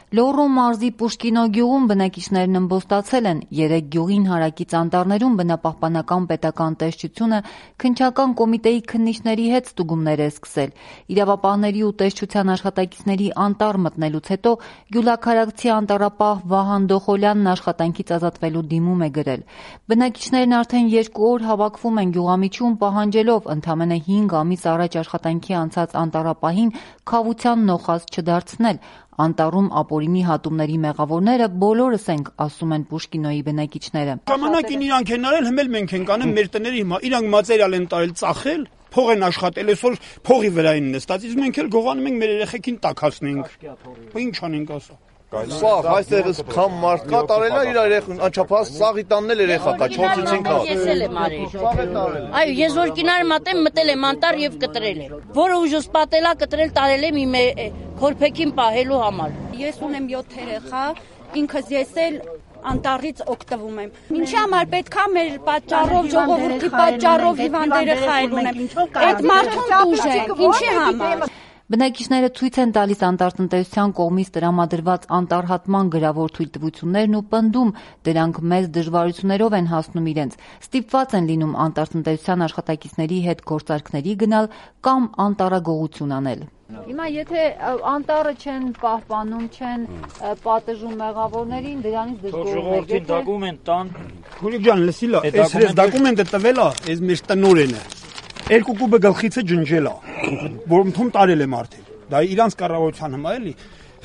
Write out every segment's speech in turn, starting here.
Լոռու մարզի Պուշկինո գյուղում բնակիչներն ըմբոստացել են 3 գյուղին հարակից անտառներում բնապահպանական պետական տեսչությունը քննչական կոմիտեի քննիչների հետ ստուգումներ է սկսել։ Իրավապահների ու տեսչության աշխատակիցների անտառ մտնելուց հետո գյուլաքարակցի անտառապահ Վահան Դոխոլյանն աշխատանքից ազատվելու դիմում է գրել։ Բնակիչներն արդեն 2 օր հավաքվում են գյուղամիջում պահանջելով ընդամենը 5 ամիս առաջ աշխատանքի անցած անտառապահին քավության նոխազ չդարձնել։ Անտառում ապօրինի հատումների մեղավորները բոլորս ենք, ասում են Պուշկինոյի բնակիչները։ Ժամանակին իրանք են արել, հիմա մենք ենք անում մեր տների հիմա։ Իրանք մատերիալ են տարել, ծախել, փող են աշխատել, այսօր փողի վրա են նստած, իսկ մենք էլ գողանում ենք մեր երեխեքին տաքացնենք։ Ինչ անենք ասա։ Սաղ, այստեղս քամ մարդ կա տարել է իր երեխուն, անչափահաս սաղի տանն էլ երեխա կա, 4-5 կա։ Ես էլ եմ արել։ Այո, ես որ կինար մատեմ մտել եմ անտառ եւ կտրել եմ։ Որը ուժս պատելա կտրել տարել եմ իմ քորփեքին պահելու համար։ Ես ունեմ 7 երեխա, ինքս ես էլ անտառից օգտվում եմ։ Ինչի համար պետքա մեր պատճառով, ժողովրդի պատճառով հիվանդ երեխայր ունեմ։ Այդ մարդուն դուժեն, ինչի համար։ Բնակիչները ցույց են տալիս անտառտնտեսության կողմից տրամադրված անտառհատման գրավոր թույլտվություններն ու պնդում, դրանք մեծ դժվարություններով են հասնում իրենց։ Ստիպված են լինում անտառտնտեսության աշխատակիցների հետ գործարքների գնալ կամ անտառագողություն անել։ Հիմա եթե անտառը չեն պահպանում, չեն պատժում մեղավորներին, դրանից դժգոհում եք։ Ժողովրդին դոկումենտ տան։ Խուրիկ ջան, լսիլա, այս դոկումենտը տվել է, այս մեր տնօրենը։ 2 կուբը գլխիցը ջնջել է, որ ընդում տարել եմ արդեն։ Դա իրանց կառավարության հիմա էլի։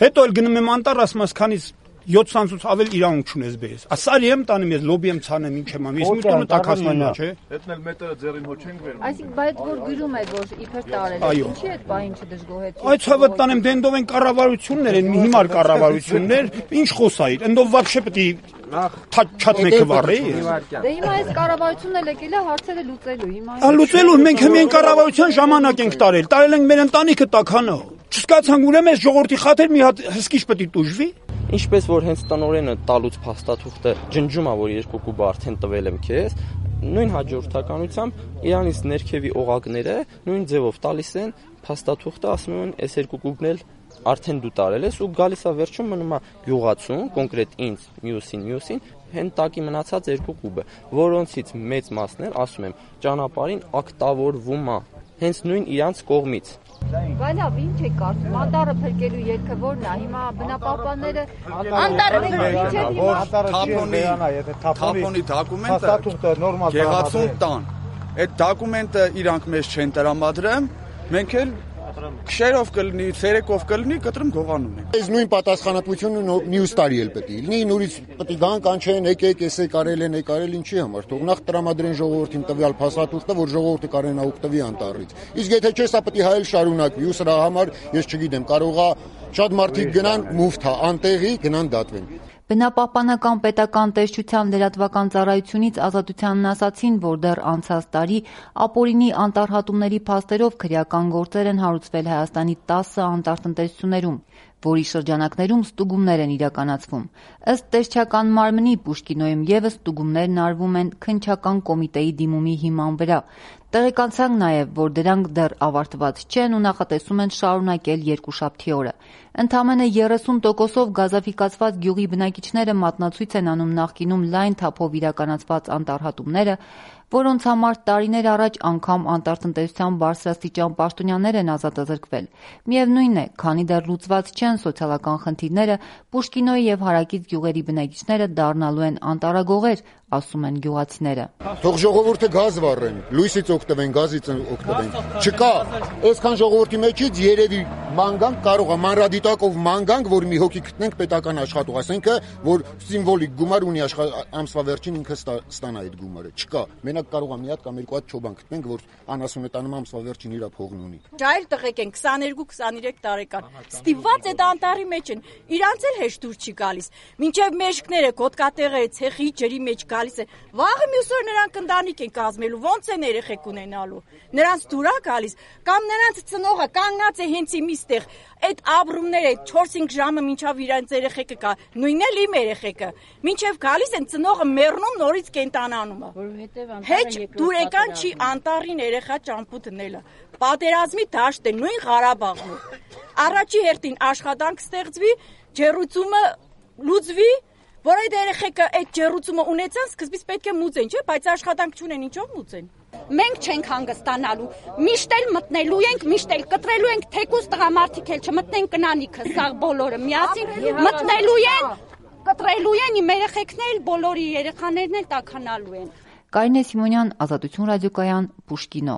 Հետո էլ գնում եմ անտառ, ասում ես, քանից 700-ից ավել իրանք չունես բես։ Ասարի եմ տանում, ես լոբի եմ ցանեմ, ինչ եմ անում։ Ես մի տոնը տակասնում եմ, չէ։ Հետն էլ մետրը ձեռին հո չենք վերում։ Այսինքն, բայց որ գրում է, որ իբր տարել է, ինչի այդ բային չդժգոհեցին։ Այդ ցավը տանեմ, դե ընդով են կառավարություններ են, հիմար կառավարություններ, ինչ խոսայր։ Ընդով вообще պետք է չաթմեկը վառի։ Դե հիմա այս կառավարությունն էլ եկել է հարցերը լուծելու։ Հիմա լուծելու մենք հենց կառավարության ժամանակ ենք տարել։ Տարել ենք մեր ընտանիքը տականա։ Չսկացանք ուրեմն այս ժողովրդի խաթեր մի հատ հսկիչ պետք է տուժվի։ Ինչպես որ հենց տնօրենը տալուց փաստաթուղթը ջնջում է, որ 2 կուբը արդեն տվել եմ քեզ, նույն հաջորդականությամբ իրանից ներքևի օղակները նույն ձևով տալիս են փաստաթուղթը, ասում են, այս 2 կուբն էլ արդեն դու տարել ես ու գալիս է վերջում մնում է գյուղացուն, կոնկրետ ինձ, մյուսին, հեն տակի մնացած 2 կուբը, որոնցից մեծ մասն էլ, ասում եմ, ճանապարհին ակտավորվում է, հենց նույն իրանց կողմից։ Բայց լավ, ինչ է կարծում, անտառը փրկելու ելքը որն է, հիմա բնապահպանները անտառը թափոնի դոկումենտը գեղացուն տան։ Այդ դոկումենտը իրանք մեզ չեն տրամադրում, մենք էլ քշերով կլինի, ցերեկով կլինի, կտրում գողանում ենք։ Այս նույն պատասխանատվությունը մյուս տարի էլ պետք է լինի, նորից պետք է գան կանչեն, եկեք, էս կարել ինչի համար, թող նախ տրամադրեն ժողովրդին տվյալ փաստաթուղթը, որ ժողովուրդը կարենա օգտվի անտառից։ Իսկ եթե չէ, սա պետք է հայել շարունակվի, ու սրա համար ես չգիտեմ, կարողա շատ մարդիկ գնան մուֆթա, անտեղի գնան դատվեն։ Բնապահպանական պետական տեսչության լրատվական ծառայությունից ազատությանն ասացին, որ դեռ անցած տարի ապօրինի անտառհատումների փաստերով քրեական գործեր են հարուցվել Հայաստանի 10 անտառտնտեսություններում, որի շրջանակներում ստուգումներ են իրականացվում։ Ըստ տեսչական մարմնի Պուշկինոյում ևս ստուգումներն արվում են քննչական կոմիտեի դիմումի հիման վրա։ Տեղեկանցանք նաև, որ դրանք դեռ ավարտված չեն ու նախատեսում են շարունակել երկուշաբթի օրը։ Ընդամենը 30%-ով գազաֆիկացված գյուղի բնակիչները մատնացույց են անում նախկինում լայն թափով իրականացված անտառհատումները, որոնց համար տարիներ առաջ անգամ անտառտնտեսության բարձրաստիճան պաշտոնյաներ են ազատազրկվել։ Միևնույն է, քանի դեռ լուծված չեն սոցիալական խնդիրները, Պուշկինոյի եւ հարակից գյուղերի բնակիչները դառնալու են անտառագողեր, ասում են գյուղացիները։ Թող ժողովուրդը գազ վառեն, լույսից օգտվեն, գազից օգտվեն։ Չկա, այսքան ժողովրդի մեջից երևի մանգանք կարող է մանրադիտակով մանգանք, որ մի հոգի գտնենք պետական աշխատող, ասենք որ սիմվոլիկ գումար ունի ամսվա վերջին ինքը ստանա այդ գումարը։ Չկա, մենակ կարող է մի հատ կամ 2 հատ չոբան գտնենք, որ անասունետանում ամսվա վերջին իր փողն ունի։ Ճայլ տղեկ են 22-23 տարեկան։ Ստիպված այդ անտառի մեջ են։ Իրանց էլ հեշտ դուր չի գալիս։ Մինչև մեջքները, կոտկատեղերը, ցեխի ջրի մեջ գալիս է։ Վաղը մյուս օր նրանք ընտանիք են կազմելու, ոնց են երեխեք ունենալու։ Նրանց դուր է գալիս, կամ նրանց ծնողը կանգնած է հենց իմիստեղ։ Այդ ապրումները 4-5 ժամը մինչև իրանց երեխեքը կա, նույնն էլ իմ երեխեքը։ Մինչև գալիս են ծնողը մեռնում, նորից կենտանանում է։ Հեչ դուրեկան չի անտառին երեխա ճամփու դնելը։ Պատերազմի դաշտ է, նույն Ղարաբաղն է։ Առաջի հերթին աշխատանք ստեղծվի, ջեռուցումը լուծվի, որ այդ երեխեքը այդ ջեռուցումը ունեցան, սկզբից պետք է մուծեն, չէ՞, բայց աշխատանք չունեն, ինչով մուծեն։ Մենք չենք հանգստանալու։ Միշտ էլ մտնելու ենք, միշտ էլ կտրելու ենք, թեկուզ տղամարդիկ էլ չմտնեն կնանիքը, սաղ բոլորը միասին մտնելու են, կտրելու են, իմ երեխեքն էլ, բոլորի երեխաներն էլ տաքանալու են։ Կարինե Սիմոնյան, Ազատություն ռադիոկայան, Պուշկինո։